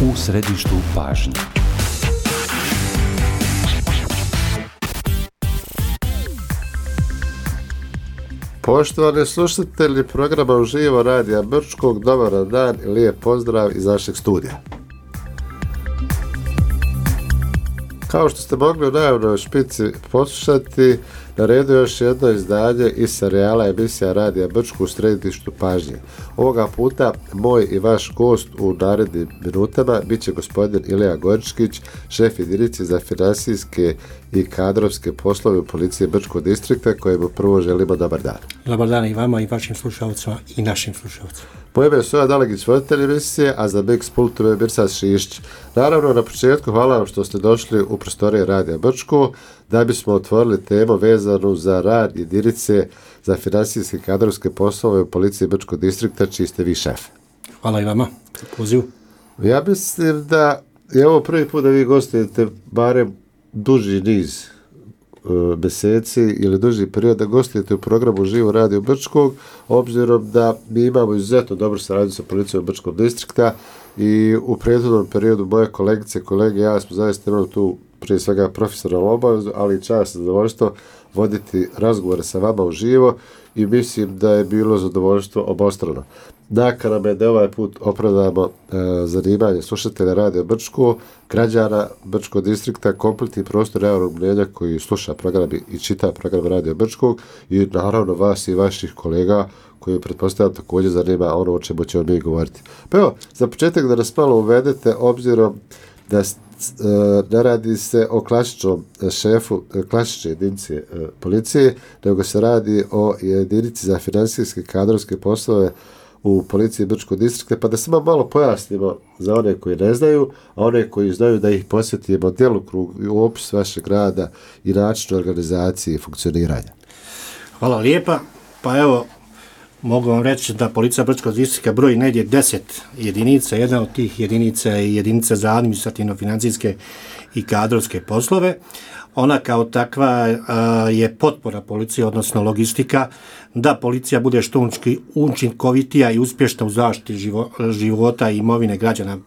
U središtu pažnje. Poštovani slušatelji programa Uživo Radija Brčkog, dobar dan i lijep pozdrav iz našeg studija. Kao što ste mogli u najavnoj špici poslušati, na redu je još jedno izdanje iz serijala emisija Radija Brčko u središtu pažnje. Ovoga puta moj i vaš gost u narednim minutama bit će gospodin Ilija Goričkić, šef jedinice za financijske i kadrovske poslove u policiji Brčkog distrikta, kojemu prvo želimo dobar dan. Dobar dan i vama i vašim slušalcima i našim slušalcima. Moje ime je Soja Dalegić, voditelj emisije, a za Mix Pultove je Mirsad Šišć. Naravno, na početku hvala vam što ste došli u prostorije Radija Brčko da bismo otvorili temu vezanu za rad jedinice za financijske i kadrovske poslove u policiji Brčkog distrikta, čiji ste vi šef. Hvala i vama za poziv. Ja mislim da je ovo prvi put da vi gostujete barem duži niz mjeseci ili duži period da gostujete u programu Živo Radio Brčkog, obzirom da mi imamo izuzetno dobru saradnju sa policijom Brčkog distrikta i u prethodnom periodu moje kolegice, kolege i ja smo zaista imali tu prije svega profesionalnu obavezu, ali i čast i zadovoljstvo voditi razgovore sa vama uživo i mislim da je bilo zadovoljstvo obostrano. Nakana me da ovaj put opravdamo zanimanje slušatelja Radio Brčko, građana Brčkog distrikta, kompletni prostor javnog mnijenja koji sluša program i čita program Radio Brčkog i naravno vas i vaših kolega koji pretpostavljam također zanima ono o čemu ćemo mi govoriti. Pa evo, za početak da nas malo uvedete, obzirom da ne radi se o klasičnom šefu klasične jedinice policije, nego se radi o jedinici za financijske i kadrovske poslove u policiji Brčkog distrikta, pa da se malo pojasnimo za one koji ne znaju, a one koji znaju da ih posjetimo djelokrug i opis vašeg rada i način organizacije i funkcioniranja. Hvala lijepa. Pa evo, mogu vam reći da policija Brčkog distrikta broji negdje 10 jedinica. Jedna od tih jedinica je jedinica za administrativno-financijske i kadrovske poslove. Ona kao takva je potpora policije, odnosno logistika, da policija bude što učinkovitija i uspješna u zaštiti života i imovine građana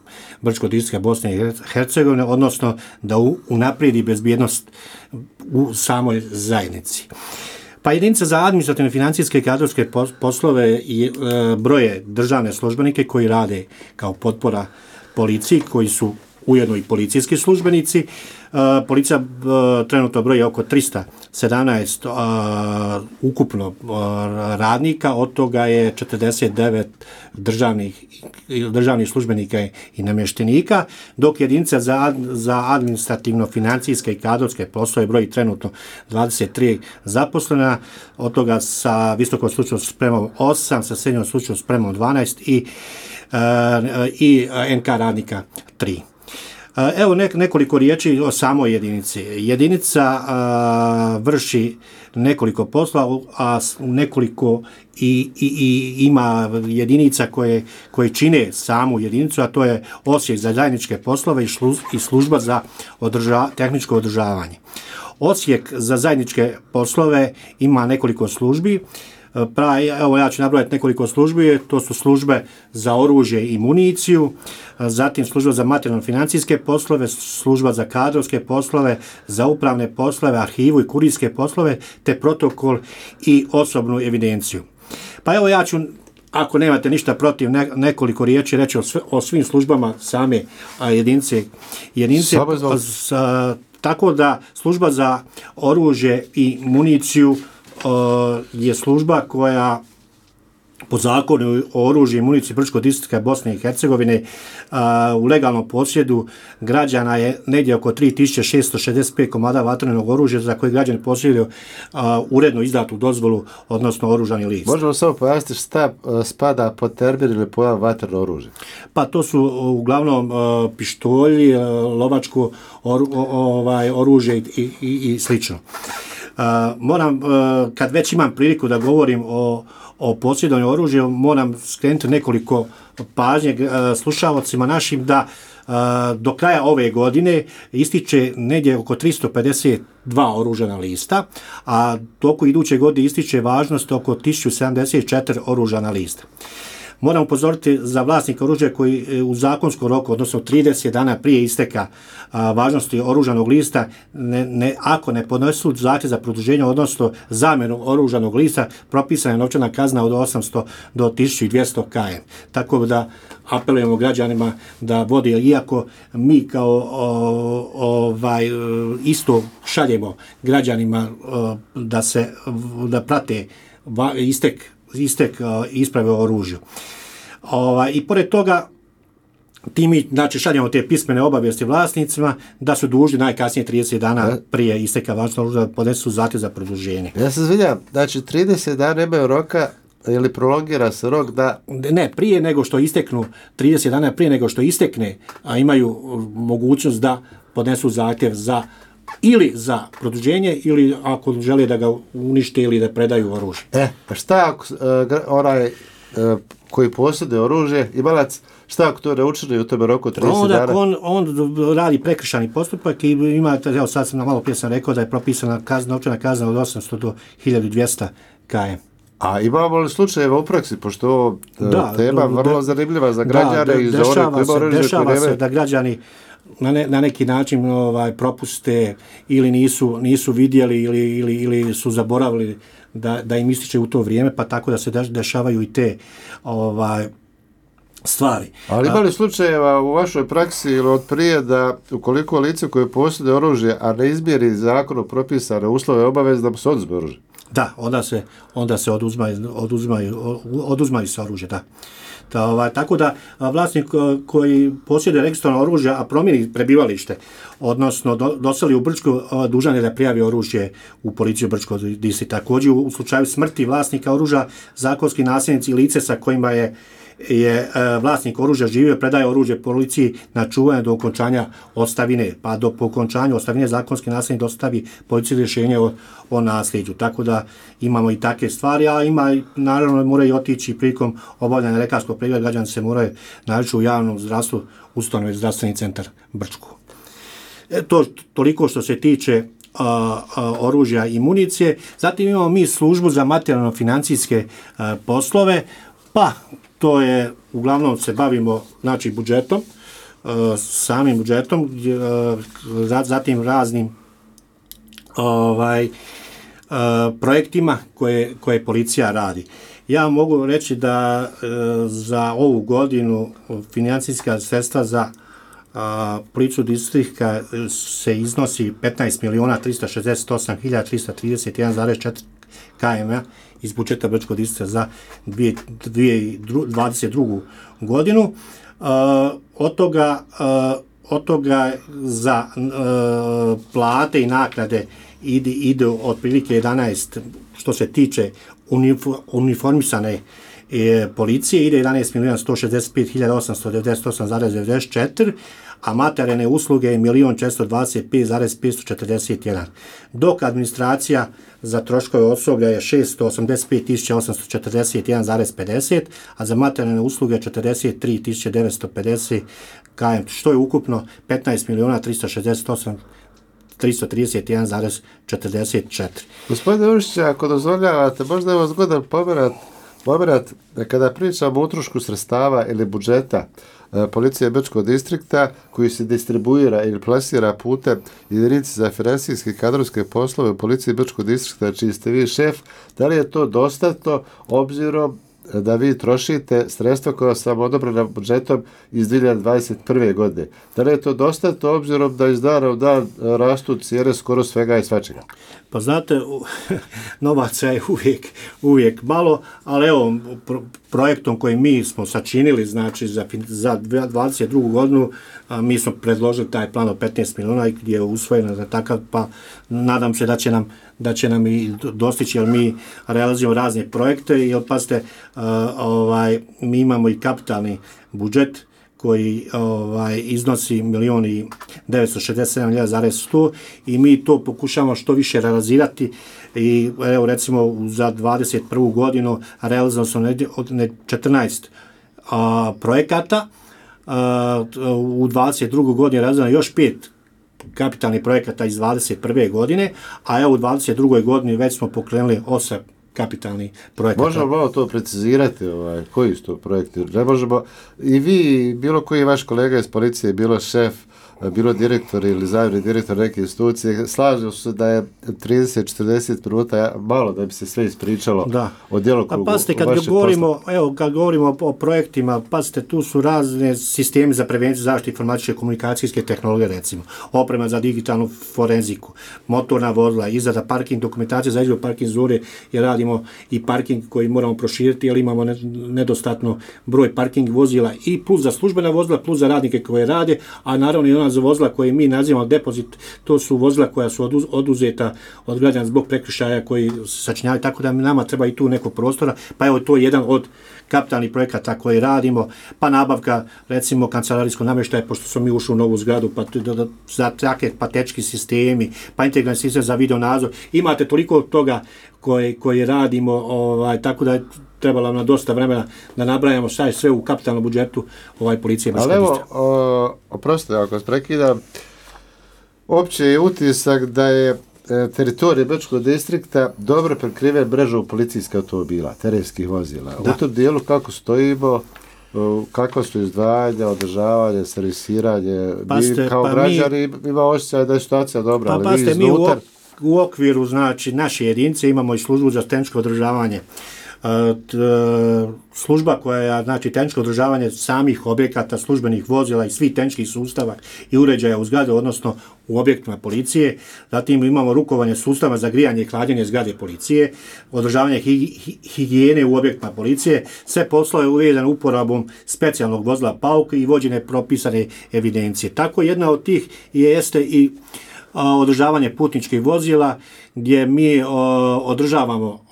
Brčkog distrikta Bosne i Hercegovine, odnosno da unaprijedi bezbjednost u samoj zajednici. Pa jedinica za administrativne, financijske i kadrovske poslove broje državne službenike koji rade kao potpora policiji, koji su ujedno i policijski službenici. Policija trenutno broji oko 317 ukupno radnika, od toga je 49 državnih službenika i namještenika, dok jedinica za administrativno-financijske i kadrovske poslove broji trenutno 23 zaposlena, od toga sa visokom stručnom spremom 8, sa srednjom stručnom spremom 12 i NK radnika 3. Evo nekoliko riječi o samoj jedinici. Jedinica vrši nekoliko poslova, a nekoliko i ima jedinica koje čine samu jedinicu, a to je Odsjek za zajedničke poslove i služba za tehničko održavanje. Odsjek za zajedničke poslove ima nekoliko službi. Evo ja ću nabrojati nekoliko službi, to su službe za oružje i municiju, zatim služba za materijalno-financijske poslove, služba za kadrovske poslove, za upravne poslove, arhivu i kurirske poslove, te protokol i osobnu evidenciju. Pa evo ja ću, ako nemate ništa protiv, nekoliko riječi reći o svim službama same jedinice. Tako da služba za oružje i municiju je služba koja po zakonu o oružju i municiji Brčkog distrikta Bosne i Hercegovine u legalnom posjedu građana je negdje oko 3665 komada vatrenog oružja za koje građani posjeduju uredno izdatu dozvolu, odnosno oružani list. Možemo samo pojasniti šta spada pod termin ili pojam vatreno oružje? Pa to su uglavnom pištolji, lovačko oružje i slično. Moram, kad već imam priliku da govorim o posjedovanju oružja, moram skrenuti nekoliko pažnje slušalcima našim da do kraja ove godine ističe negdje oko 352 oružana lista, a toku iduće godine ističe važnost oko 1074 oružana lista. Moram upozoriti za vlasnika oružja koji u zakonskom roku, odnosno 30 dana prije isteka važnosti oružanog lista, ako ne podnesu zahtjev za produženje, odnosno zamjenu oružanog lista, propisana je novčana kazna od 800 do 1200 km. Tako da apelujemo građanima da vode, iako mi kao isto šaljemo građanima da prate istek isprave o oružju. I pored toga mi šaljemo te pismene obavijesti vlasnicima da su dužni najkasnije 30 dana prije isteka važnosti oružja da podnesu zahtjev za produženje. Ja se izvinjam, znači 30 dana nemaju roka ili prolongira se rok da... Ne, prije nego što isteknu, 30 dana prije nego što istekne, a imaju mogućnost da podnesu zahtjev ili za produženje ili ako žele da ga unište ili da predaju oružje. Šta ako onaj koji posjeduje oružje, imalac, šta ako to ne učini u tome roku 30 dana? On radi prekršajni postupak i ima, evo sad sam malo prije sam rekao da je propisana novčana kazna od 800 do 1200 km. A imamo li slučajeva u praksi, pošto tema vrlo zanimljiva za građane i za one koji imaju dešava se da građani na neki način propuste ili nisu vidjeli ili su zaboravili da im ističe u to vrijeme, pa tako da se dešavaju i te stvari. Ali ima li slučajeva u vašoj praksi ili od prije da ukoliko lice koje posjeduje oružje, a ne izmjeri zakonom propisane uslove obaveze da mu se oduzme oružje? Da, onda se oduzmaju se oružje, da. Tako da vlasnik koji posjeduje registrovano oružje, a promijeni prebivalište, odnosno doseli u Brčko, dužan je da prijavi oružje u policiju Brčkog distrikta. Također u slučaju smrti vlasnika oružja, zakonski nasljednici lice sa kojima je vlasnik oružja živio predaje oružje policiji na čuvanje do okončanja ostavine, pa do okončanja ostavine zakonski nasljednik dostavi policiji rješenje o nasljeđu. Tako da imamo i takve stvari, a naravno moraju otići prilikom obavljanja lekarskog pregleda, građani se moraju naći u javnom zdravstvu, ustanovi zdravstveni centar Brčko. To toliko što se tiče oružja i municije. Zatim imamo mi službu za materijalno-financijske poslove, pa to je, uglavnom se bavimo budžetom, samim budžetom, zatim raznim projektima koje policija radi. Ja mogu reći da za ovu godinu financijska sredstva za policiju distrikta se iznosi 15.368.331,4 km iz budžeta Brčkog distrikta za 2022. godinu. Od toga za plate i naknade ide otprilike 11, što se tiče uniformisane policije, ide 11.165.898,94, a materijalne usluge je 1.425.541, dok administracija za troškove osoblja je 685.841,50, a za materijalne usluge 43.950 km, što je ukupno 15.368.331,44. Gospodine Ušić, ako dozvoljavate, možda je ovo zgodan pomerat kada pričamo o utrošku sredstava ili budžeta policije Brčkog distrikta koji se distribuira ili plasira putem jedinice za financijske i kadrovske poslove u policiji Brčkog distrikta čiji ste vi šef, da li je to dostatno obzirom da vi trošite sredstva koja su vam odobrena budžetom iz 2021. godine? Da li je to dostatno obzirom da iz dana u dan rastu cijene skoro svega i svačega? Pa znate, novaca je uvijek malo, ali evo, projektom koji mi smo sačinili, znači za 2022. godinu, mi smo predložili taj plan od 15 milijuna gdje je usvojeno za takav, pa nadam se da će nam i dostići, jer mi realizujemo razne projekte, jer pazite, mi imamo i kapitalni budžet koji iznosi 1.967.100 i mi to pokušamo što više realizirati i evo recimo za 2021. godinu realizovano su 14 projekata, u 2022. godini realizovano još 5 kapitalnih projekata iz 2021. godine, a evo u 2022. godini već smo pokrenuli 8 kapitalnih projekata. Možemo malo to precizirati, koji su to projekti? Ne možemo, i vi, bilo koji vaš kolega iz policije, bilo šef, bilo direktor ili zamjenik direktor neke institucije, slažu se da je 30-40 minuta malo da bi se sve ispričalo o djelokrugu. Pa pazite, kad govorimo o projektima, pazite, tu su razne sistemi za prevenciju zaštite informatičke komunikacijske tehnologije, recimo, oprema za digitalnu forenziku, motorna vozila, izrada parking dokumentacije za izradu parking zone, jer radimo i parking koji moramo proširiti, jer imamo nedostatno broj parking vozila i plus za službena vozila, plus za radnike koje rade, a naravno i ona za vozila koje mi nazivamo depozit, to su vozila koja su oduzeta od građana zbog prekršaja koji sačinjavaju, tako da nama treba i tu neko prostora, pa evo to je jedan od kapitalnih projekata koji radimo, pa nabavka recimo kancelarijskog namještaja, pošto smo mi ušli u novu zgradu, pa za takve patečki sistemi, pa integralni sistem za video nadzor, imate toliko toga koje radimo, tako da je trebalo nam dosta vremena da nabrajamo šta je sve u kapitalnom budžetu policije. Ali evo, oprostite ako vas prekidam, opće je utisak da je teritorij Brčkog distrikta dobro prekriven mrežom policijskih automobila, terenskih vozila. Da. U tom dijelu kako stojimo, kakva su izdvajanja, održavanje, servisiranje, mi kao građani ima osjećaj da je situacija dobra, ali vi iznutar... U okviru, znači, naše jedinice imamo i službu za tehničko održavanje. Služba koja, znači, tehničko održavanje samih objekata, službenih vozila i svih tehničkih sustava i uređaja u zgrade, odnosno u objektima policije. Zatim imamo rukovanje sustava za grijanje i hlađenje zgrade policije, održavanje higijene u objektima policije, sve poslove uvezane uporabom specijalnog vozila PAUK i vođene propisane evidencije. Tako jedna od tih jeste i održavanje putničkih vozila, gdje mi održavamo,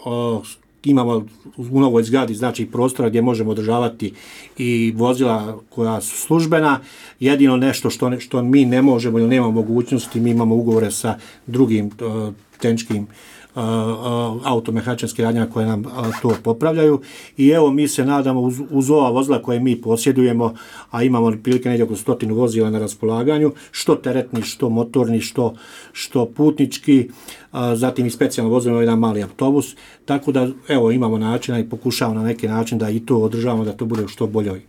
imamo u novoj zgradi, znači, prostora gdje možemo održavati i vozila koja su službena. Jedino nešto što mi ne možemo ili nemamo mogućnosti, mi imamo ugovore sa drugim tehničkim automehaničarskim radnjama koje nam to popravljaju. I evo, mi se nadamo uz ova vozila koje mi posjedujemo, a imamo prilike negdje oko 100 vozila na raspolaganju, što teretni, što motorni, što putnički, zatim i specijalno vozilo, jedan mali autobus, tako da evo imamo načina i pokušavamo na neki način da i to održavamo, da to bude u što boljoj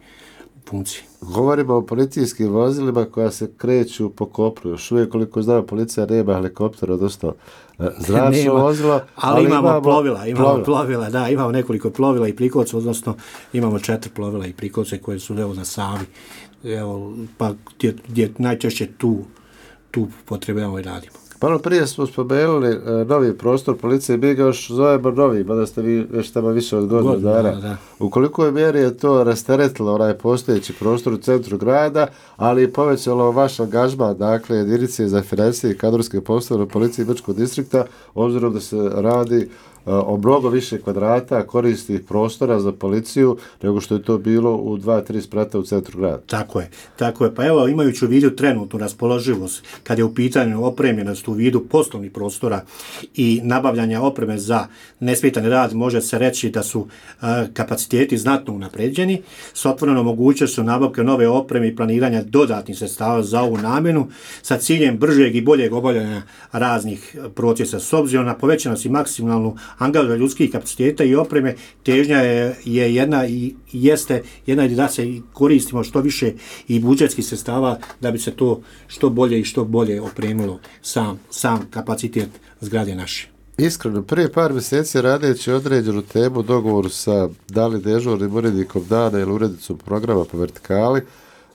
funkciji. Govorimo o policijskim vozilima koja se kreću po kopnu. Još uvijek, koliko znamo, policija nema helikoptera, odnosno zračno vozilo. Ali imamo plovila, da, imamo nekoliko plovila i prikolce, odnosno imamo 4 plovila i prikolce koje su na Savi. Evo, pa gdje najčešće tu potrebujemo i radimo. Malo prije smo spomenuli novi prostor policije, mi ga još zovemo novi, mada ste vi već tamo više od godinu dana. U kolikoj mjeri je to rasteretilo onaj postojeći prostor u centru grada, ali i povećalo vaš angažman, dakle, jedinice za financije i kadrovske poslove u policiji Brčkog distrikta, obzirom da se radi o mnogo više kvadrata koristih prostora za policiju nego što je to bilo u 2-3 sprata u centru grada. Tako je. Pa evo, imajući u vidu trenutnu raspoloživost, kad je u pitanju opremljenost u vidu poslovnih prostora i nabavljanja opreme za nesmetani rad, može se reći da su kapaciteti znatno unapređeni, s otvorenom mogućnošću nabavke nove opreme i planiranja dodatnih sredstava za ovu namjenu sa ciljem bržeg i boljeg obavljanja raznih procesa. S obzirom na povećanost i maksimalnu angaža ljudskih kapaciteta i opreme, težnja je jedna i jeste jedna da se koristimo što više i budžetskih sredstava da bi se to što bolje opremilo sam kapacitet zgrade naše. Iskreno, prije par mjeseci radeći određenu temu u dogovoru sa da li dežurnim urednikom dana ili urednicom programa po vertikali,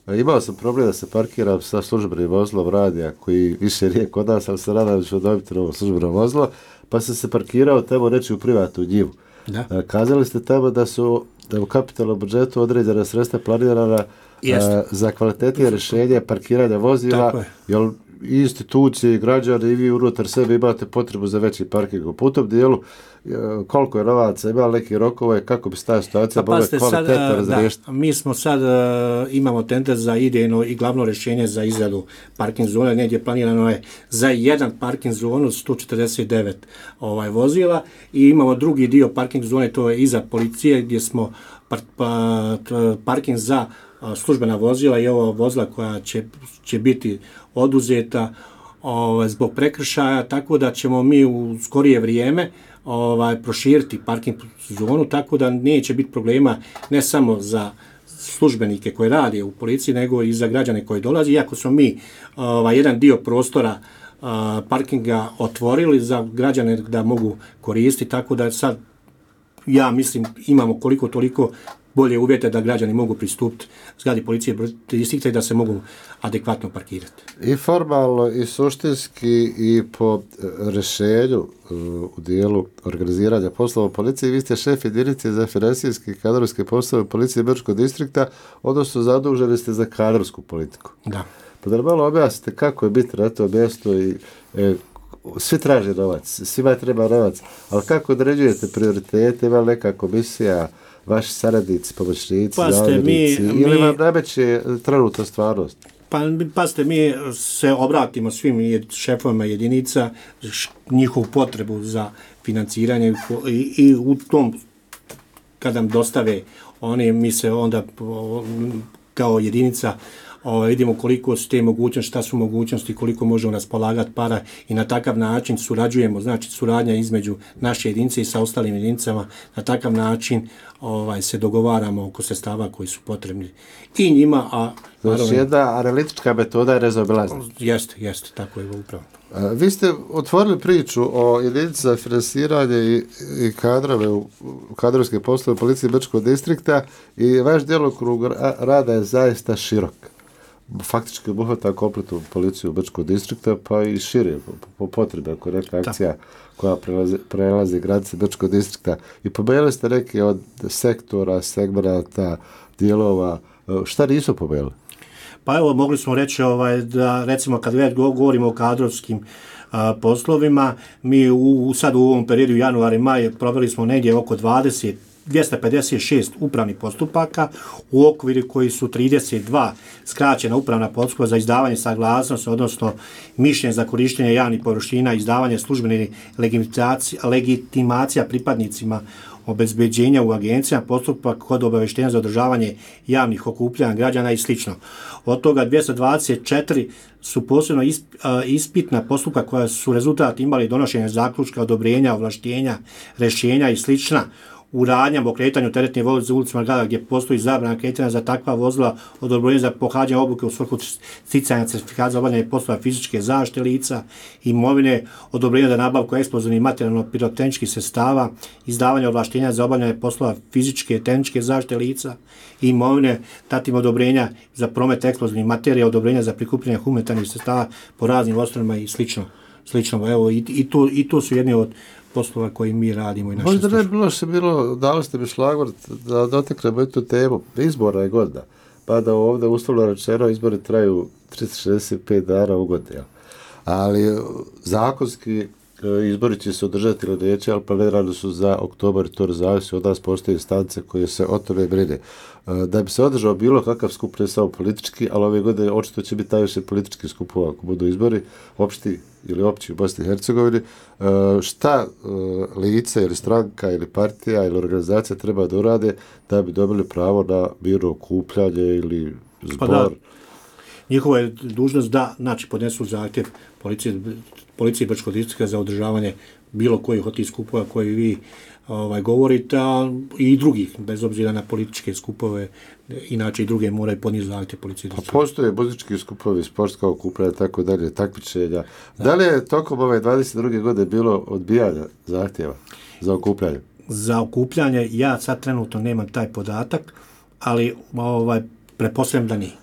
imao sam problem da se parkiram sa službenim vozilom radija koji više nije kod nas, ali se nadam da ću dobiti novo službeno vozilo, pa sam se parkirao tamo reći u privatnu njivu. Kazali ste tamo da su u kapitalnom budžetu određena sredstva planirana za kvalitetnije rješenje parkiranja vozila, jer i institucije, i građani, i vi unutar sebe imate potrebu za veći parking. U tom dijelu, koliko je novaca, ima neki rokove, kako bi se ta situacija mogla kvalitetno razriješiti? Mi smo sad, imamo tender za idejno i glavno rješenje za izradu parking zone, negdje planirano je za jedan parking zonu 149 vozila i imamo drugi dio parking zone, to je iza policije, gdje smo parking za službena vozila i ova vozila koja će biti oduzeta zbog prekršaja, tako da ćemo mi u skorije vrijeme proširiti parking zonu, tako da neće biti problema ne samo za službenike koji rade u policiji, nego i za građane koji dolazi, iako smo mi jedan dio prostora parkinga otvorili za građane da mogu koristiti, tako da sad ja mislim imamo koliko toliko bolje uvjete da građani mogu pristupiti zgradi policije distrikta i da se mogu adekvatno parkirati. I formalno i suštinski i po rješenju u dijelu organiziranja poslova u policiji, vi ste šef jedinice za financijske i kadrovske poslove policije Brčkog distrikta, odnosno zaduženi ste za kadrovsku politiku. Da. Pa da malo objasnite kako je biti na to mjesto i svi traže novac, svima treba novac, ali kako određujete prioritete, ima neka komisija, vaši saradnici, pomoćnici, zamjenici, ili vam nameće trenutna stvarnost? Pazite, mi se obratimo svim šefovima jedinica, njihovu potrebu za financiranje i u tom, kad nam dostave oni, mi se onda kao jedinica vidimo koliko su te mogućnosti, šta su mogućnosti, koliko možemo raspolagati para i na takav način surađujemo, znači suradnja između naše jedinice i sa ostalim jedinicama, na takav način se dogovaramo oko sredstava koji su potrebni i njima, znači jedna analitička metoda je rezobilazna. Jeste, tako je upravo. Vi ste otvorili priču o jedinici za finansiranje i kadrove u kadrovske poslove policije Brčkog distrikta i vaš djelokrug rada je zaista širok. Faktički obuhvata kompletnu policiju Brčkog distrikta, pa i šire po potrebi, ako je neka akcija koja prelazi granice Brčkog distrikta. I pomenuli ste neke od sektora, segmenata, dijelova. Šta nisu pomenuli? Pa evo, mogli smo reći da recimo kad već govorimo o kadrovskim poslovima, mi sad u ovom periodu januar i maj proveli smo negdje oko 256 upravnih postupaka, u okviru koji su 32 skraćena upravna postupka za izdavanje saglasnosti, odnosno mišljenje za korištenje javnih površina, izdavanje službene legitimacija pripadnicima obezbeđenja u agencijama, postupak kod obavještenja za održavanje javnih okupljanja građana i sl. Od toga 224 su posebno ispitna postupka koja su rezultat imali donošenja zaključka, odobrenja, ovlaštenja, rješenja i sl. U radnjama o kretanju teretnih vozila ulicama grada gdje postoji zabrana kretanja za takva vozila, odobrenje za pohađanje obuke u svrhu sticanja certifikata za obavljanje poslova fizičke zaštite lica, imovine, odobrenje za nabavku eksplozivnih materijalno-pirotehničkih sredstava, izdavanje ovlaštenja za obavljanje poslova fizičke tehničke zaštite lica, imovine, zatim odobrenja za promet eksplozivnih materija, odobrenja za prikupljanje humanitarnih sredstava po raznim ostrovima i slično. Evo, i tu su jedni od poslova koji mi radimo i naše službe. Možda ne bilo, dali ste mi šlagvort da doteknemo tu temu. Izbora je godina, pa da ovdje uslovno rečeno izbori traju 365 dana u godini. Ali zakonski izbori će se održati ili neće, ali planirani su za oktobar i to zavisi od nas, postoje instance koje se o tome brine. Da bi se održao bilo kakav skup, ne samo politički, ali ove godine očito će biti najviše politički skupova ako budu izbori opšti ili opći u Bosni i Hercegovini. Šta lice ili stranka ili partija ili organizacija treba da urade da bi dobili pravo na mirno okupljanje ili zbor? Pa da, njihova je dužnost da podnesu zahtjev policije Brčkog distrikta za održavanje bilo kojih od tih skupova koji vi govorite, i drugih, bez obzira na političke skupove, inače i druge moraju podnijeti zahtjev policije. Pa postoje politički skupovi, sportska okupljanja, tako dalje, takmičenja. Da li je tokom ove 22. godine bilo odbijanja zahtjeva za okupljanje? Za okupljanje ja sad trenutno nemam taj podatak, ali pretpostavljam da nije.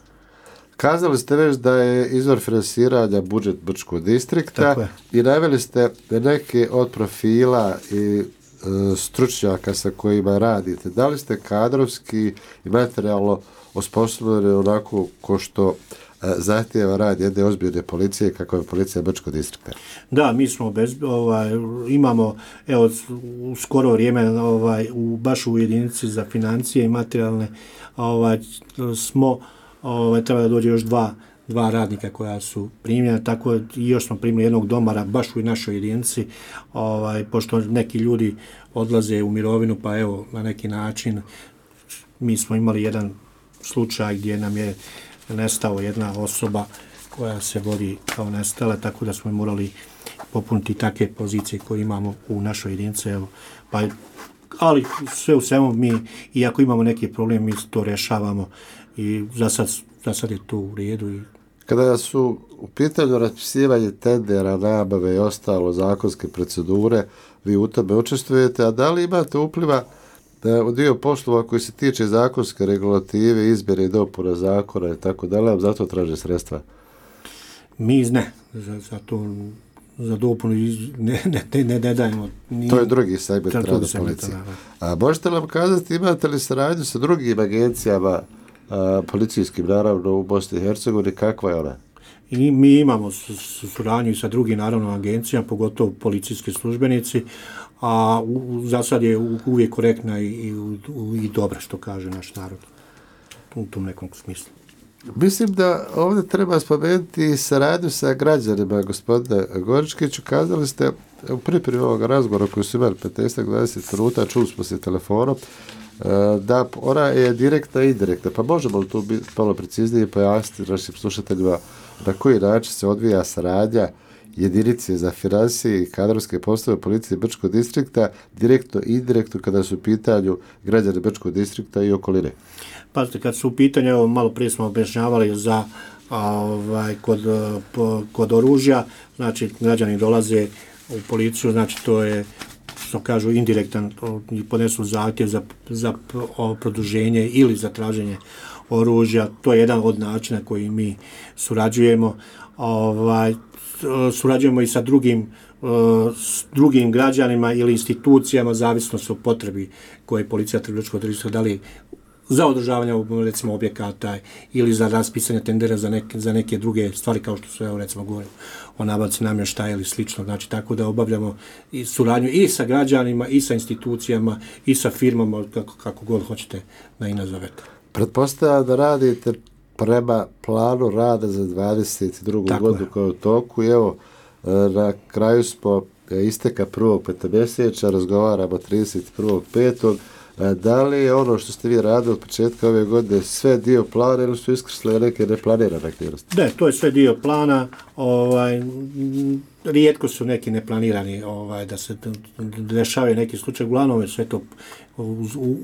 Kazali ste već da je izvor finansiranja budžet Brčkog distrikta i naveli ste neke od profila i stručnjaka sa kojima radite. Da li ste kadrovski i materijalno osposobljeni onako ko što zahtijeva rad jedne ozbiljne policije kako je policija Brčkog distrikta? Da, mi smo imamo u skoro vrijeme baš u jedinici za financije i materijalne smo treba da dođe još dva radnika koja su primljena, tako i još smo primili jednog domara baš u našoj jedinici, pošto neki ljudi odlaze u mirovinu, pa evo na neki način mi smo imali jedan slučaj gdje nam je nestao jedna osoba koja se vodi kao nestala, tako da smo morali popuniti takve pozicije koje imamo u našoj jedinici. Evo, pa, ali sve u svemu mi, iako imamo neki problem, mi to rješavamo i za sad je to u redu. Kada su u pitanju raspisivanje tendera, nabave i ostalo zakonske procedure, vi u tome učestvujete, a da li imate upliva u dio poslova koji se tiče zakonske regulative, izmjene i dopuna zakona i tako dalje, zato traže sredstva? Mi ne, za dopunu ne dajemo. To je drugi segment rada policije. A možete nam kazati, imate li saradnju sa drugim agencijama, policijskim naravno u Bosni i Hercegovini, kakva je ona? I mi imamo suradnju sa drugim naravno agencijama, pogotovo policijski službenici, a za sad je uvijek korektna i dobra, što kaže naš narod u tom nekom smislu. Mislim da ovdje treba spomenuti saradnju sa građanima, gospodine Goričkiću. Kazali ste u pripremi ovog razgovora koji su imali 15-20 minuta, čuli smo se telefonom, da ona je direktna i indirektna. Pa možemo li tu biti malo preciznije pojasniti našim slušateljima na koji način se odvija saradnja jedinice za financije i kadrovske poslove policije Brčkog distrikta direktno i indirektno kada su u pitanju građani Brčkog distrikta i okoline? Pazite, kad su u pitanju, evo malo prije smo objašnjavali za kod oružja, znači građani dolaze u policiju, znači to je, što kažu, indirektan, i podnesu zahtjev za produženje ili za traženje oružja. To je jedan od načina koji mi surađujemo. Surađujemo i sa drugim građanima ili institucijama, zavisno su o potrebi koje policija Brčkog distrikta, da li za održavanje recimo objekata ili za raspisanje tendera za neke druge stvari, kao što su, evo, recimo govorimo o nabavci namještaja ili slično. Znači, tako da obavljamo i suradnju i sa građanima, i sa institucijama, i sa firmama, kako god hoćete da i nazovete. Pretpostavljam da radite prema planu rada za 22. godinu koja je u toku. Evo, na kraju smo isteka prvog petomjesečja, razgovaramo 31.5. Da li je ono što ste vi radili od početka ove godine sve dio plana ili su iskrsle neke neplanirane aktivnosti? Da, to je sve dio plana. Rijetko su neki neplanirani da se dešavaju neki slučaj. Uglavnom je sve to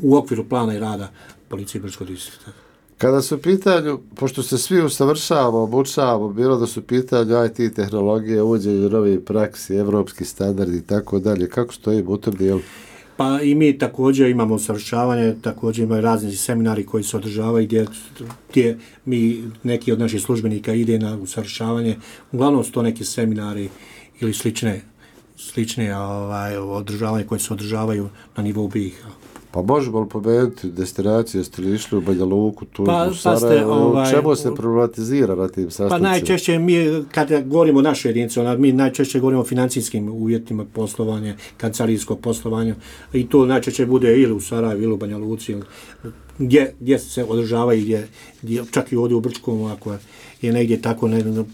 u okviru plana i rada policije Brčkog distrikta. Kada su u pitanju, pošto se svi usavršavamo, obučavamo, bilo da su u pitanju IT tehnologije, uvođenje novih praksi, evropski standardi i tako dalje, kako stojimo u tom dijelu? Pa i mi također imamo usavršavanje, također imaju razni seminari koji se održavaju gdje mi, neki od naših službenika ide na usavršavanje. Uglavnom su to neki seminari ili slične održavanje koje se održavaju na nivou BiH. Pa možemo li pomenuti destinaciju, jeste li išli u Banja Luku, Tuzlu, Sarajevo, čemu se problematizira na tim sastancima? Pa najčešće mi, kada govorimo o našoj jedinici, mi najčešće govorimo o financijskim uvjetima poslovanja, kancelarskog poslovanja, i to najčešće bude ili u Sarajevu ili u Banja Luci, gdje se održava i gdje čak i ovdje u Brčkom, ako je negdje tako,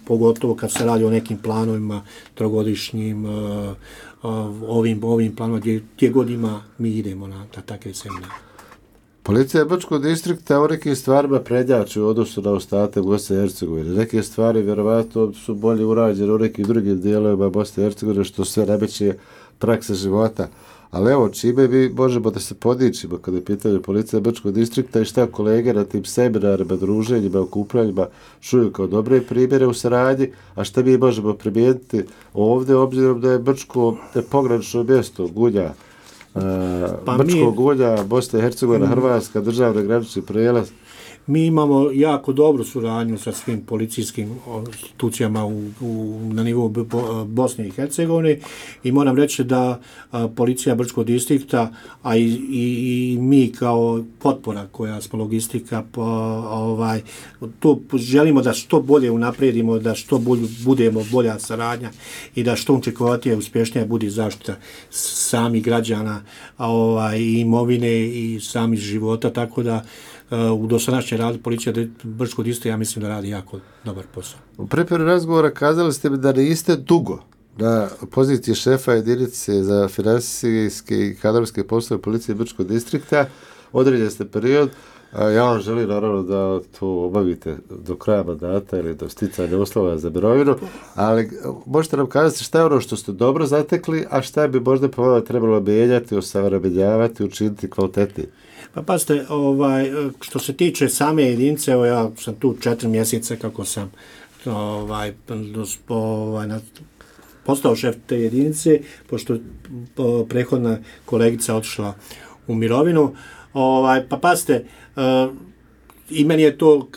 pogotovo kad se radi o nekim planovima trogodišnjim, ovim planom, gdje god ima, mi idemo na takve seminare. Policija Brčkog distrikta u nekim stvarima prednjači u odnosu na ostatak Bosne i Hercegovine. Neke stvari vjerovatno su bolje urađene u nekim drugim dijelovima Bosne i Hercegovine, što sve nameće praksa života. Ali evo, čime mi možemo da se podičimo kada je pitanje policija Brčkog distrikta i šta kolege na tim seminarima, druženjima, okupljanjima čuju kao dobre primjere u saradnji, a šta mi možemo primijeniti ovdje, obzirom da je Brčko pogranično mjesto, Gunja, Brčko, Gunja, Bosna i Hercegovina, Hrvatska, državni granični prijelaz. Mi imamo jako dobru suradnju sa svim policijskim institucijama na nivou Bosne i Hercegovine i moram reći da policija Brčkog distrikta, a i mi kao potpora koja smo logistika, to želimo da što bolje unaprijedimo, da što budemo bolja saradnja i da što učinkovitije, uspješnija bude zaštita samih građana, imovine i samih života, tako da u dosadašnjem radu policija Brčkog distrikta, ja mislim da radi jako dobar posao. U pripremi razgovora kazali ste mi da niste dugo na poziciji šefa jedinice za financijske i kadrovske poslove policije Brčkog distrikta. Određen ste period. Ja vam želim naravno da to obavite do kraja mandata ili do sticanja uslova za mirovinu, ali možete nam kazati šta je ono što ste dobro zatekli, a šta bi možda po vama trebalo mijenjati, osavremenjavati, učiniti kvalitetniji? Pa pazite, što se tiče same jedinice, evo ja sam tu 4 mjeseca kako sam postao šef te jedinice, pošto prethodna kolegica otišla u mirovinu. Pa pazite, i meni je to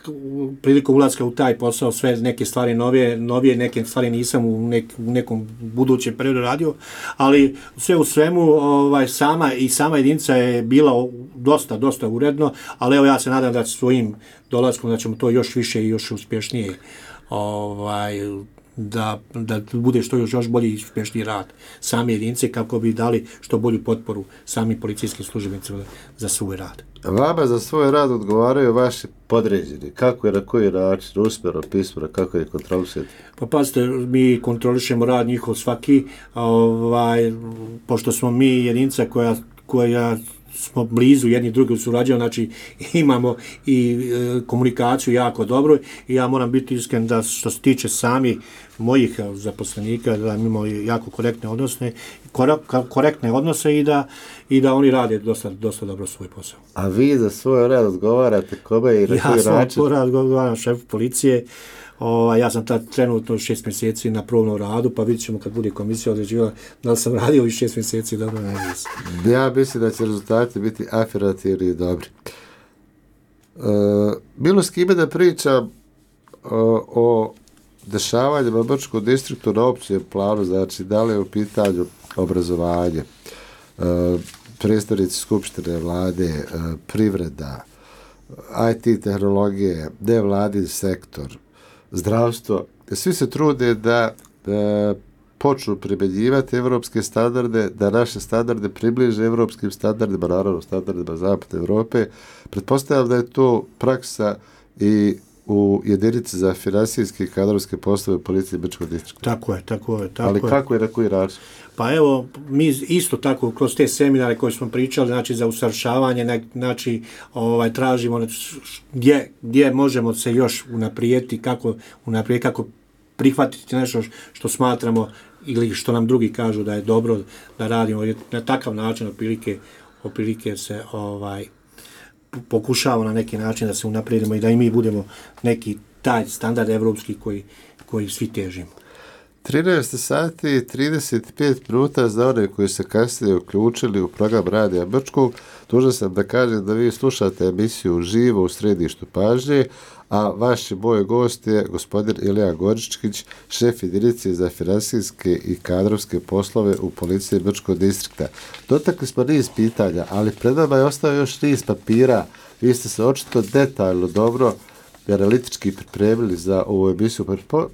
prilikom ulaska u taj posao sve neke stvari novije, neke stvari nisam u nekom budućem periodu radio, ali sve u svemu sama jedinica je bila dosta uredno, ali evo ja se nadam da svojim dolaskom da ćemo to još više i još uspješnije da bude što još bolji i uspješniji rad same jedinice kako bi dali što bolju potporu samim policijskim službenicima za svoj rad. Vama za svoj rad odgovaraju vaši podređeni. Kako je, na koji način, usmjerno, pismeno, kako je kontrolišete? Pa pazite, mi kontrolišemo rad njihov svaki, pošto smo mi jedinica koja smo blizu jedni drugi surađujemo, znači imamo i komunikaciju jako dobro i ja moram biti iskren da što se tiče sami mojih zaposlenika da imamo jako korektne odnose i da oni rade dosta dobro svoj posao. A vi za svoj rad odgovarate kome i na koji način? Ja sam odgovaram šefu policije. Ja sam tad trenutno 6 mjeseci na probnom radu, pa vidjet ćemo kad bude komisija određivala da li sam radio ovih 6 mjeseci dobro na nisam. Ja mislim da će rezultati biti afirmativni i dobri. Bilo s kime da pričam o dešavanjima u Brčkom distriktu na općem planu, znači da li je u pitanju obrazovanje, predstavnici skupštine vlade, privreda, IT tehnologije, nevladin sektor, zdravstvo, svi se trude da počnu primjenjivati evropske standarde, da naše standarde približe evropskim standardima, naravno standardima Zapadne Evrope. Pretpostavljam da je to praksa i u jedinici za finansijske i kadrovske poslove policije Brčkog distrikta. Tako je. Ali kako je, na koji način? Pa evo, mi isto tako kroz te seminare koje smo pričali, znači za usavršavanje, znači tražimo gdje možemo se još unaprijediti, kako prihvatiti nešto što smatramo ili što nam drugi kažu da je dobro da radimo. Na takav način otprilike se pokušavamo na neki način da se unaprijedimo i da i mi budemo neki taj standard evropski koji svi težimo. 13 sati i 35 minuta za one koji se kasnije uključili u program Radija Brčkog. Dužan sam da kažem da vi slušate emisiju Živo u središtu pažnje, a vaš moj gost je gospodin Ilija Goričkić, šef jedinice za finansijske i kadrovske poslove u policiji Brčkog distrikta. Dotakli smo niz pitanja, ali pred nama je ostao još niz papira. Vi ste se očito detaljno dobro i analitički pripremili za ovu emisiju.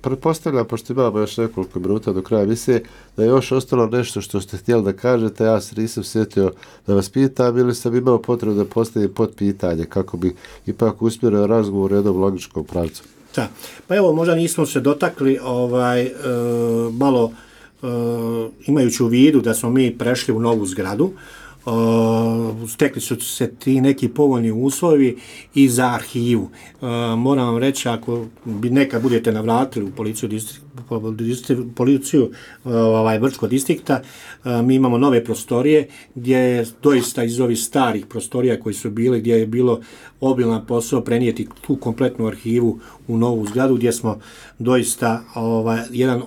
Pretpostavljam, pošto imamo još nekoliko minuta do kraja emisije, da je još ostalo nešto što ste htjeli da kažete, ja se nisam sjetio da vas pitam ili sam imao potrebu da postavim podpitanje kako bi ipak usmjerio razgovor u jednom logičkom pravcu. Da, pa evo možda nismo se dotakli malo imajući u vidu da smo mi prešli u novu zgradu, stekli su se ti neki povoljni uslovi i za arhivu. Moram vam reći, ako bi nekad budete navratili u policiju Brčkog distrikta, mi imamo nove prostorije gdje je doista iz ovih starih prostorija koji su bili, gdje je bilo obilan posao prenijeti tu kompletnu arhivu u novu zgradu gdje smo doista jedan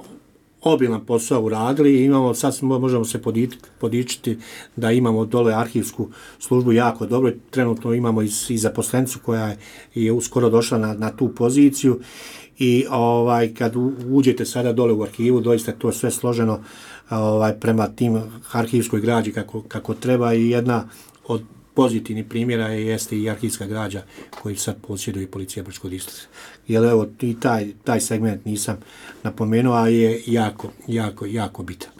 obilan posao uradili i sad možemo se podičiti da imamo dole arhivsku službu jako dobro. Trenutno imamo i zaposlenicu koja je uskoro došla na tu poziciju i kad uđete sada dole u arhivu, doista to sve složeno prema tim arhivskoj građi kako treba i jedna od pozitivnih primjera jeste i arhivska građa koju sad posjeduje policija Brčkog distrikta. Jer evo i taj segment nisam napomenuo, a je jako bitan.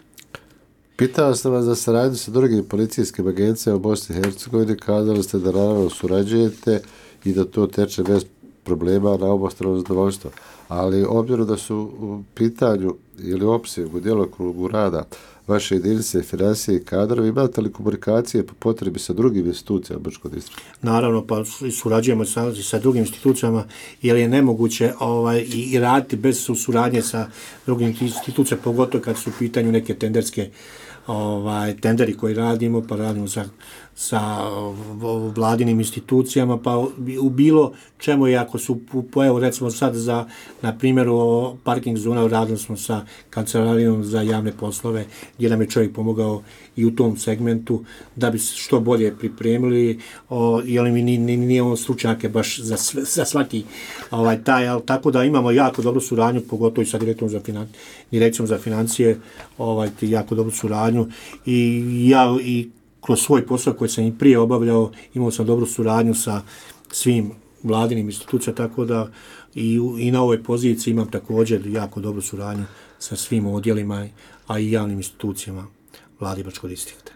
Pitao sam vas za saradnju sa drugim policijskim agencijama u Bosni i Hercegovini, kazali ste da naravno surađujete i da to teče bez problema na obostrano zadovoljstvo. Ali obzirom da su u pitanju ili opsegu, djelokrugu rada vaše jedinice, financije i kadrovi, imate li komunikacije po potrebi sa drugim institucijama Brčkog distrikta? Naravno, pa surađujemo sa drugim institucijama, jer je nemoguće i raditi bez suradnje sa drugim institucijama, pogotovo kad su u pitanju neke tenderske tenderi koji radimo, pa radimo sa vladinim institucijama, pa u bilo čemu, i ako su, evo recimo sad na primjeru parking zona, radili smo sa kancelarijom za javne poslove, gdje nam je čovjek pomogao i u tom segmentu da bi što bolje pripremili, jer mi nije on stručnjake baš za svaki taj, ali tako da imamo jako dobru suradnju, pogotovo i sa direkcijom za financije, jako dobru suradnju, i ja i kroz svoj posao koji sam i prije obavljao, imao sam dobru suradnju sa svim vladinim institucijama, tako da i na ovoj poziciji imam također jako dobru suradnju sa svim odjelima, a i javnim institucijama Vlade Brčkog distrikta.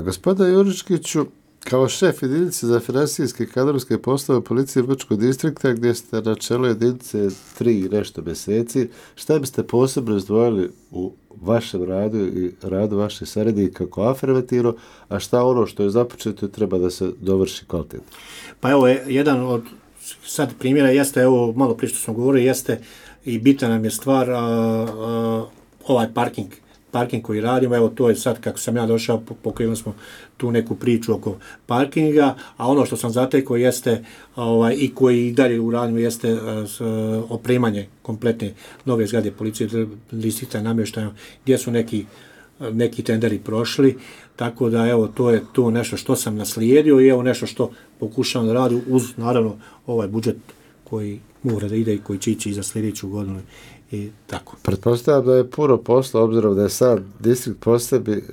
Gospodine Juričkiću, kao šef jedinice za financijske i kadrovske poslove policije Brčkog distrikta, gdje ste na čelu jedinice 3 i nešto mjeseci, šta biste posebno izdvojili u vašem radu i radu vaših saradnika kao afirmativno, a šta ono što je započeto treba da se dovrši kvalitetno? Pa evo, jedan od sad primjera jeste, evo malo prije što sam govorio, jeste i bitna nam je stvar ovaj parking koji radimo. Evo, to je sad kako sam ja došao, pokrenuli smo tu neku priču oko parkinga, a ono što sam zatekao jeste i koji i dalje uradimo jeste opremanje kompletne nove zgrade policije distrikta i namještaja, gdje su neki tenderi prošli, tako da evo, to je to nešto što sam naslijedio i evo nešto što pokušavam da radim uz naravno ovaj budžet koji mora da ide i koji će ići i za sljedeću godinu i tako. Pretpostavljam da je puno posla, obzirom da je sad distrikt po sebi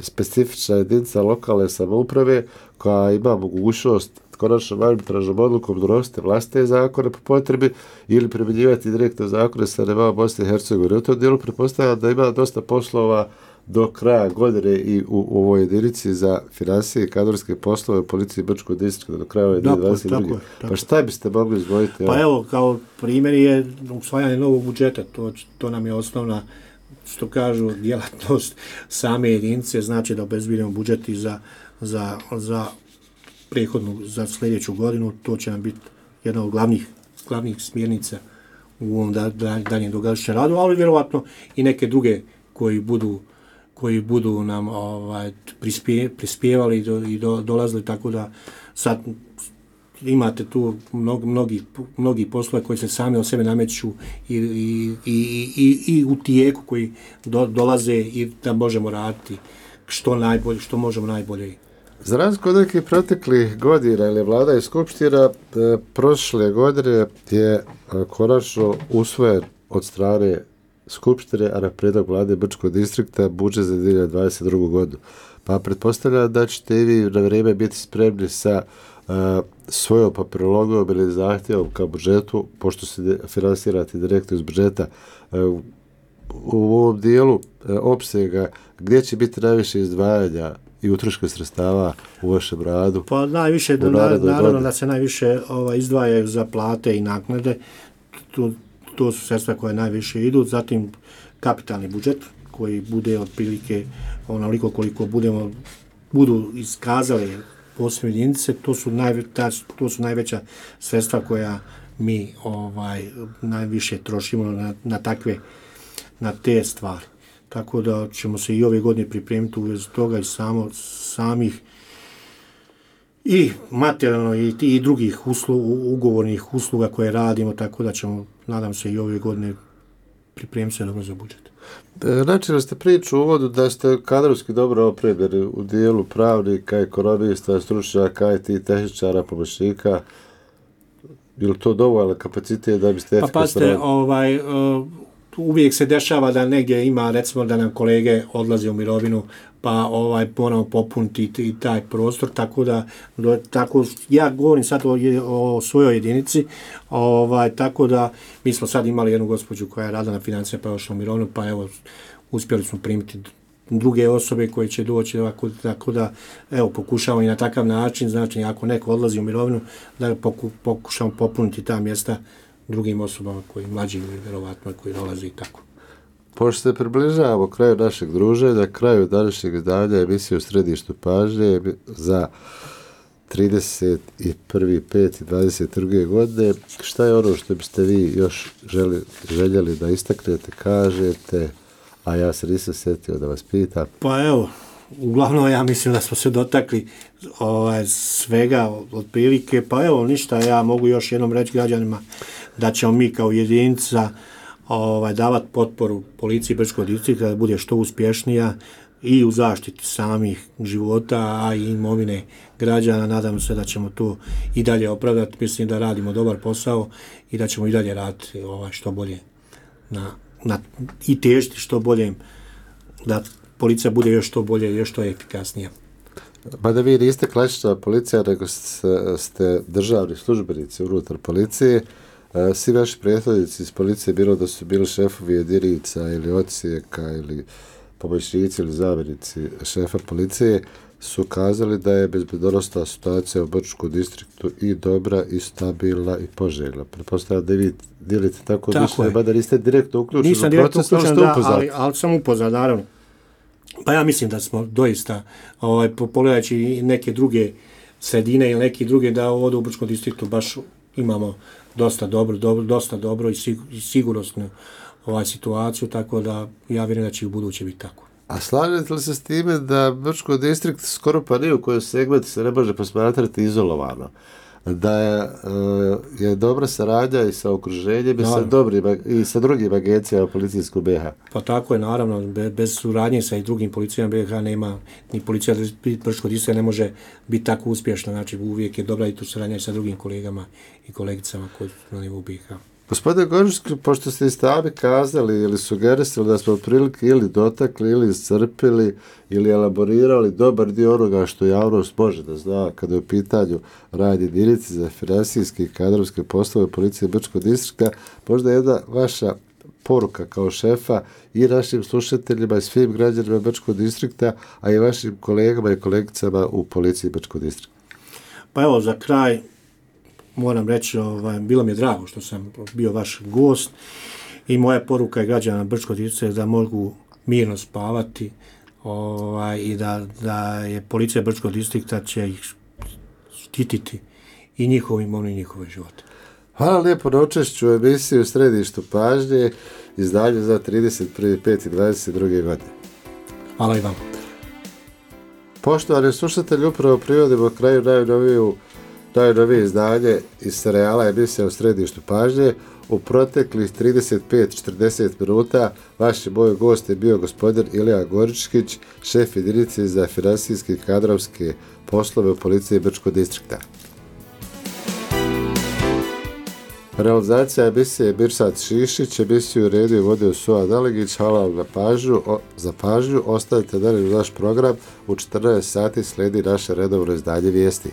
specifična jedinica lokalne samouprave koja ima mogućnost konačnom arbitražnom odlukom donositi vlastite zakone po potrebi ili primjenjivati direktno zakone sa nivou Bosne i Hercegovine. U tom dijelu pretpostavljam da ima dosta poslova do kraja godine i u ovoj jedinici za financije i kadrovske poslove u policiji Brčkog distrikta do kraja 2022. Pa šta biste mogli izdvojiti? Pa evo, kao primjer je usvajanje novog budžeta, to nam je osnovna, što kažu, djelatnost same jedinice, znači da obezbedimo budžet i za prethodnu, za sljedeću godinu. To će nam biti jedna od glavnih smjernica u ovom daljem događajućem radu, ali vjerovatno i neke druge koji budu nam prispjevali i dolazili, tako da sad imate tu mnogi poslove koji se sami od sebe nameću i u tijeku koji dolaze i da možemo raditi što možemo najbolje. Za razliku od nekih proteklih godina ili vlada i skupština, prošle godine je konačno usvojen od strane Skupštine, a na prijedlog vlade Brčkog distrikta budžet za 2022. godinu. Pa pretpostavljam da ćete i vi na vrijeme biti spremni sa svojom papirologijom ili zahtjevom ka budžetu, pošto se finansirate direktno iz budžeta, u ovom dijelu opsega gdje će biti najviše izdvajanja i utroška sredstava u vašem radu? Pa najviše, naravno da se najviše izdvajaju za plate i naknade. To su sredstva koje najviše idu, zatim kapitalni budžet koji bude otprilike onoliko koliko budu iskazali posebne jedinice, to su najveća sredstva koja mi najviše trošimo na te stvari. Tako da ćemo se i ove godine pripremiti u vezi toga i samih i materijalno i drugih ugovornih usluga koje radimo, tako da ćemo, nadam se, i ove godine pripremiti se dobro za budžet. Načeli ste priču u uvodu da ste kadrovski dobro opremljeni u dijelu pravnika, ekonomista, stručnjaka, IT tehničara, pomoćnika. Je li to dovoljno kapacitet da biste efikasno radili? Pa pazite, uvijek se dešava da negdje ima, recimo da nam kolege odlaze u mirovinu, pa moramo popuniti i taj prostor, tako ja govorim sad o svojoj jedinici, tako da mi smo sad imali jednu gospođu koja je radila na financijama, pa je ošla u mirovinu, pa evo, uspjeli smo primiti druge osobe koje će doći, tako da evo, pokušamo i na takav način, znači ako neko odlazi u mirovinu, da pokušamo popuniti ta mjesta drugim osobama koji mlađi ili vjerovatno koji dolazi i tako. Pošto se približavamo kraju našeg druženja, kraju današnjeg izdanja emisije u središtu pažnje za 31.5.22. godine, šta je ono što biste vi još željeli da istaknete, kažete, a ja se nisam sjetio da vas pitam? Pa evo, uglavnom ja mislim da smo se dotakli svega otprilike, pa evo ništa, ja mogu još jednom reći građanima da ćemo mi kao jedinica davati potporu policiji Brčkog distrikta da bude što uspješnija i u zaštiti samih života, a i imovine građana. Nadam se da ćemo to i dalje opravdati. Mislim da radimo dobar posao i da ćemo i dalje raditi što bolje i težiti što bolje da policija bude još što bolje, još što efikasnija. Pa da vi niste klasična policija, nego ste državni službenici unutar policije. Svi vaši prethodnici iz policije, bilo da su bili šefovi jedinica ili odsjeka ili pomoćnici ili zamjenici šefa policije, su kazali da je bezbednosna situacija u Brčkom distriktu i dobra i stabilna i poželjna. Pretpostavljam da vi dijelite tako mišljenje, mada niste direktno uključeni u proces. Nisam direktno uključen, ali sam upoznat, naravno. Pa ja mislim da smo doista, pogledajući neke druge sredine ili neke druge, da ovdje u Brčkom distriktu baš imamo dosta dobro i sigurnosnu situaciju, tako da ja vjerujem da će u buduće biti tako. A slažete li se s time da Brčko distrikt skoro pa ni u kojoj segmentu se ne može posmatrati izolovano? Da je dobra saradnja i sa okruženjem i sa drugim agencijama policijskog BiH? Pa tako je, naravno. Bez suradnje sa i drugim policijama BiH nema, ni policija Brčkog distrikta ne može biti tako uspješna. Znači uvijek je dobra i tu saradnja sa drugim kolegama i kolegicama koji su na nivou BiH. Gospodine Gorički, pošto ste i sami kazali ili sugerisali da smo otprilike ili dotakli ili iscrpili ili elaborirali dobar dio onoga što javnost može da zna kada je u pitanju rad jedinice za finansijske i kadrovske poslove policije Brčkog distrikta, možda jedna vaša poruka kao šefa i našim slušateljima i svim građanima Brčkog distrikta, a i vašim kolegama i kolegicama u policiji Brčkog distrikta. Pa evo, za kraj moram reći, bilo mi je drago što sam bio vaš gost i moja poruka je građana Brčkog distrikta da mogu mirno spavati i da je policija Brčkog distrikta će ih štititi i njihovu imovinu i njihove živote. Hvala lijepo na učešću u emisiji u središtu pažnje, izdanje za 31.5.22. godine. Hvala i vam. Poštovani slušatelji, upravo privodimo kraju najnovije izdanje iz serijala emisija u središtu pažnje. U proteklih 35-40 minuta vaš moj gost je bio gospodin Ilija Goričkić, šef jedinice za finansijske i kadrovske poslove u policiji Brčkog distrikta. Realizacija emisije Mirsad Šišić, emisiju redio i vodio Suad Aligić. Hvala vam za pažnju. Ostavite dalje u naš program. U 14 sati slijedi naše redovno izdanje vijesti.